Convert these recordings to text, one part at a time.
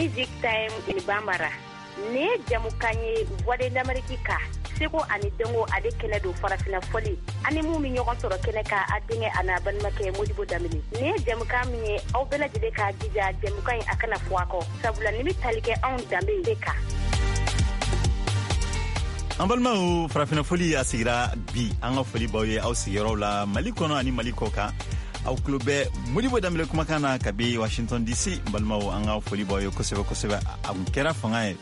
Music Time in Bambara. Nin ye jamukan ye Voix de l'Amérique ka seko ani dɔnko ale kɛnɛ don farafina fɔli ani mun bɛ ɲɔgɔn sɔrɔ kɛnɛ kan a denkɛ a n'a balimakɛ Modibo Danbele. Nin ye jamukan min ye aw bɛɛ lajɛlen k'a jija jamukan in a kana fɔ a kɔ sabula nin bɛ tali kɛ anw danbe de kan. An balimaw, farafina fɔli a sigira bi. An ka foli b'aw ye aw sigiyɔrɔw la Mali kɔnɔ ani Mali kɔ kan. Aw tulo bɛ Modibo Danbele kumakan na kabi Washington DC. Balimaw, an ka foli b'aw ye kosɛbɛ kosɛbɛ. A kun kɛra fanga ye.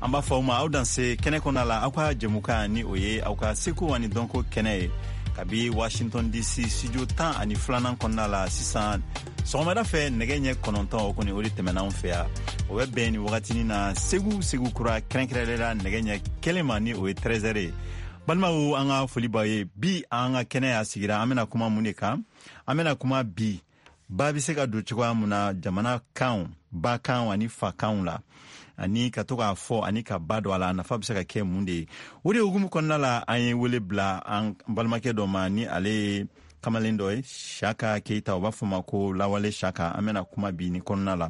An b'a fɔ aw ma aw danse kɛnɛ kɔnɔ la, aw ka jɛmukan ni o ye aw ka seko ani dɔnko kɛnɛ ye kabi Washington DC studio 12nan kɔnɔna la. Sisan sɔgɔmada fɛ nɛgɛ ɲɛ 9, o kɔni o de tɛmɛna anw fɛ yan. O bɛ bɛn nin wagatinin na Segu, Segu kura kɛrɛnkɛrɛnlen la, nɛgɛ ɲɛ 1 ma, ni o ye 13 ye. Balimaw, an ka foli b'aw ye. Bi an ka kɛnɛ y'a sigira, an bɛna kuma mun de kan? An bɛna kuma bi ba bɛ se ka don cogoya mun na jamana kanw, ba kanw ani fa kanw la, ani ka to k'a fɔ ani ka ba don a la, a nafa bɛ se ka kɛ mun de ye? O de hukumu kɔnɔna la, an ye wele bila an balimakɛ dɔ ma, ni ale ye kamalen dɔ ye, Saka Keyita, u b'a fɔ ma ko Lawale Saka. An bɛna kuma bi nin kɔnɔna la.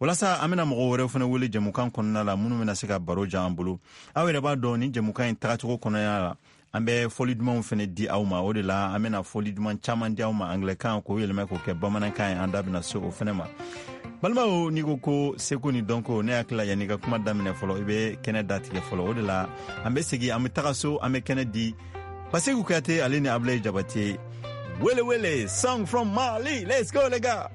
Walasa an bɛna mɔgɔ wɛrɛw fana wele jɛmukan kɔnɔna la, minnu bɛna se ka baro jan an bolo. Aw yɛrɛ b'a dɔn, ni jɛmukan in tagacogo kɔnɔna la, an bɛ fɔli dumanw fana di aw ma. O de la an bɛna fɔli duman caman di aw ma anglɛkan, k'o yɛlɛmɛ k'o kɛ bamanankan ye. An da bɛna se o fana ma. Balimaw, n'i ko ko seko ni dɔnko, ne hakili la, yanni ka kuma daminɛ fɔlɔ, i bɛ kɛnɛ datigɛ fɔlɔ. O de la an bɛ segin, an bɛ taga so, an bɛ kɛnɛ di Baseku Kuyate ale ni Abulayi Jabate. Wele wele song from Mali, let's go les gars.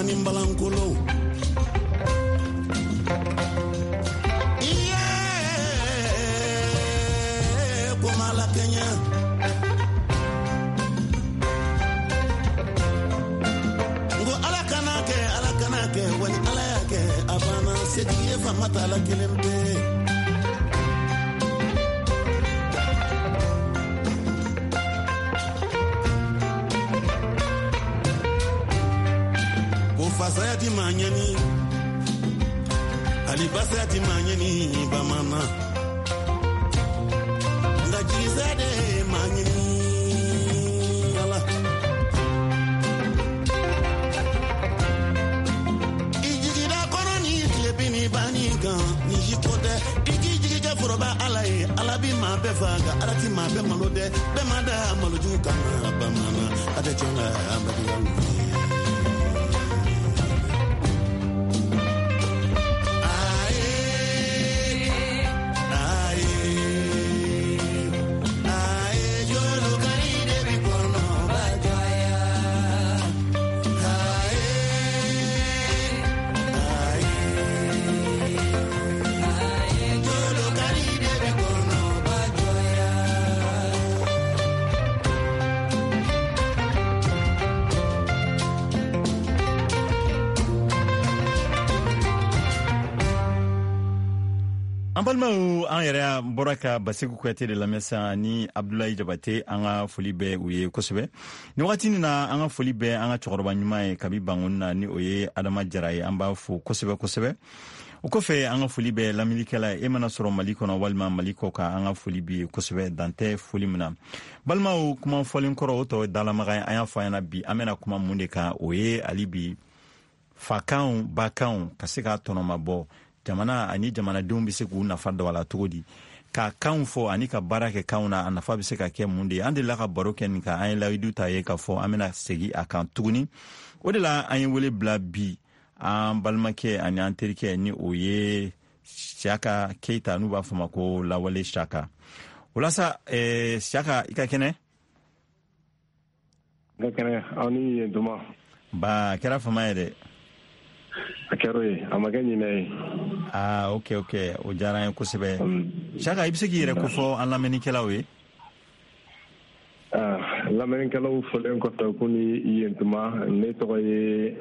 Ni balankolo iye komala kenya ngo ala kana kɛ, ala kana kɛ, wali ala y'a kɛ a banna, setigi ye fama t'a la kelen pe. Ko fasaya ti maa ɲɛni, Hali basira ti maa ɲini bamanan nka jigisa de maa ɲini ala. I jigida kɔnɔ ni tilebin ni banni kan ni si ko tɛ i k'i jigi kɛ foroba ala ye ala bi maa bɛɛ fa nka ala ti maa bɛɛ malo dɛ bɛɛ ma da malojugu kama bamanan a tɛ tiɲɛ la an bɛ diya. An balimaw, an yɛrɛ bɔra ka Baseku Kuyate de lamɛn sisan ni Abdulayi Jabate. An ka foli bɛ u ye kosɛbɛ nin wagati nin na. An ka foli bɛ an ka cɛkɔrɔba ɲuman ye kabi Bangoni na, ni o ye Adama Jara ye. An b'a fo kosɛbɛ kosɛbɛ. O kɔfɛ, an ka foli bɛ lamɛnnikɛla ye, e mana sɔrɔ Mali kɔnɔ walima Mali kɔ kan, an ka foli b'i ye kosɛbɛ, dan tɛ foli min na. Balimaw, kuma fɔlen kɔrɔ, o tɔ ye dalamaga ye. An y'a fɔ an ɲɛna bi, an bɛna kuma mun de kan? O ye hali bi fakanw bakanw ka se k'a tɔnɔmabɔ jamana ani jamanadenw bɛ se k'u nafa dɔn a la cogo di, ka kanw fɔ ani ka baara kɛ kanw na, a nafa bɛ se ka kɛ mun de ye? An delila ka baro kɛ nin kan, an ye layidu ta ye k'a fɔ an bɛna segin a kan tuguni. O de la an ye wele bila bi an balimakɛ ani an terikɛ, ni o ye Siyaka Keyita, n'u b'a fɔ ma ko Lawale Siyaka. O la sa, Siyaka, i ka kɛnɛ? N ka kɛnɛ, aw ni yen tuma. Ba, a kɛra fama ye dɛ. A kɛra o ye, a ma kɛ ɲinɛ ye. Aa, ok, o diyara an ye kosɛbɛ. Siyaka, i bɛ se k'i yɛrɛ kofɔ an lamɛnnikɛlaw ye? Lamɛnnikɛlaw fɔlen kɔfɛ ko ni yen tuma, ne tɔgɔ ye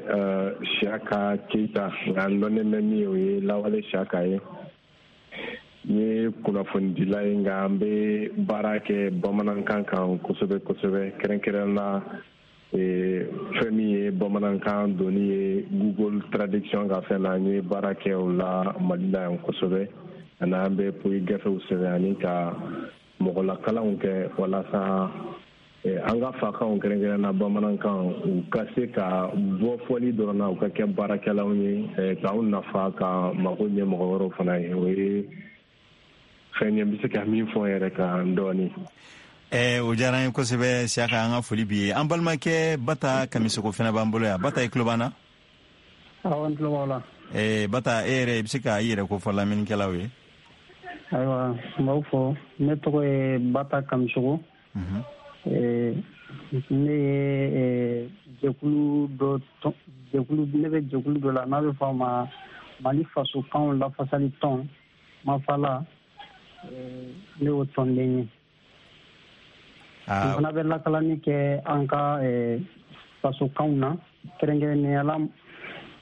Siyaka Keyita, nka n dɔnnen bɛ min ye, o ye Lawale Siyaka ye. N ye kunnafonidila ye, nka n bɛ baara kɛ bamanankan kan kosɛbɛ kosɛbɛ, kɛrɛnkɛrɛn na fɛn min ye bamanankan donni ye Google traduction ka fɛn na. N ye baara kɛ o la Mali la yan kosɛbɛ, ani an bɛ poyi gafew sɛbɛn ani ka mɔgɔlakalanw kɛ walasa an ka fakanw, kɛrɛnkɛrɛn na bamanankan, u ka se ka bɔ fɔli dɔrɔn na, u ka kɛ baarakɛlaw ye k'anw nafa, ka mago ɲɛ mɔgɔ wɛrɛw fana ye. O ye fɛn ye n bɛ se ka min fɔ n yɛrɛ kan dɔɔnin. O diyara an ye kosɛbɛ, Siyaka, an ka foli b'i ye. An balimakɛ Bata Kamisoko fana b'an bolo yan. Bata, i tulo b'an na? Awɔ, n tulo b'aw la. Bata, e yɛrɛ, i bɛ se ka i yɛrɛ kofɔ lamɛnnikɛlaw ye? Ayiwa, n b'aw fɔ. Ne tɔgɔ ye Bata Kamisoko. Ne ye jɛkulu dɔ, jɛkulu, ne bɛ jɛkulu dɔ la n'a bɛ fɔ a ma Mali fasokanw lafasali tɔn, Mafala. Ne y'o tɔnden ye. N fana bɛ lakalani kɛ an ka fasokanw na, kɛrɛnkɛrɛnnenya la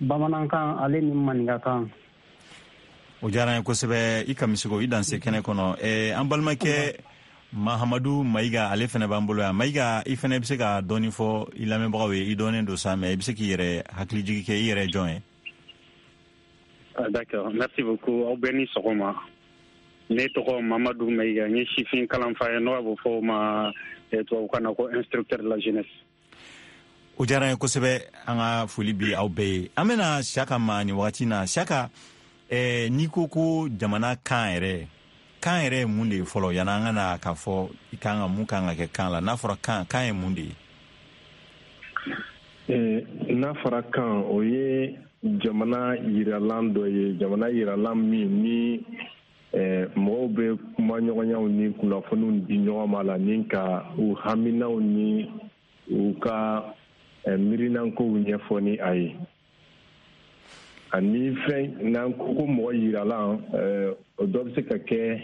bamanankan ale ni maninkakan. O diyara an ye kosɛbɛ, i Kamisoko, i danse kɛnɛ kɔnɔ. An balimakɛ Mahamadu Mayiga, ale fana b'an bolo yan. Mayiga, i fana bɛ se ka dɔɔni fɔ i lamɛnbagaw ye? I dɔnnen don sa, mais i bɛ se k'i yɛrɛ hakilijigi kɛ, i yɛrɛ jɔn ye? D'accord, merci beaucoup. Aw bɛɛ ni sɔgɔma. Ne tɔgɔ Mamadu Mayiga, n ye sifin kalanfa ye, n'o b'a fɔ o ma tubabukan na ko instructeur de la jeunesse. O diyara n ye kosɛbɛ, an ka foli bi aw bɛɛ ye. An bɛna Siyaka ma nin wagati na. Siyaka, n'i ko ko jamana kan yɛrɛ, kan yɛrɛ ye mun de ye fɔlɔ, yanni an ka na k'a fɔ i kan ka mun kan ka kɛ kan la? N'a fɔra kan, kan ye mun de ye? N'a fɔra kan, o ye jamana yiralan dɔ ye, jamana yiralan min ni mɔgɔw bɛ kuma ɲɔgɔnyaw ni kunnafoniw di ɲɔgɔn ma la, ni ka u haminaw ni u ka miirinankow ɲɛfɔ ni a ye. Ani fɛn n'an ko ko mɔgɔ yiralan, o dɔ bɛ se ka kɛ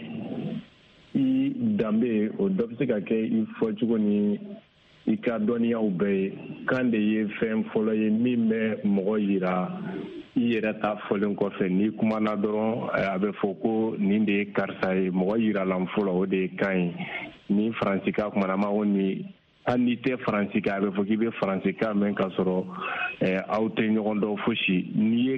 i danbe, o dɔ bɛ se ka kɛ i fɔcogo ni i ka dɔnniyaw bɛɛ ye. Kan de ye fɛn fɔlɔ ye min bɛ mɔgɔ yira i yɛrɛ ta fɔlen kɔfɛ. N'i kumana dɔrɔn, a bɛ fɔ ko nin de ye karisa ye. Mɔgɔ yiralan fɔlɔ, o de ye kan ye. Ni faransikan kumana, an b'a fɔ nin, hali n'i tɛ faransikan, a bɛ fɔ k'i bɛ faransikan mɛn, k'a sɔrɔ aw tɛ ɲɔgɔn dɔn fosi. N'i ye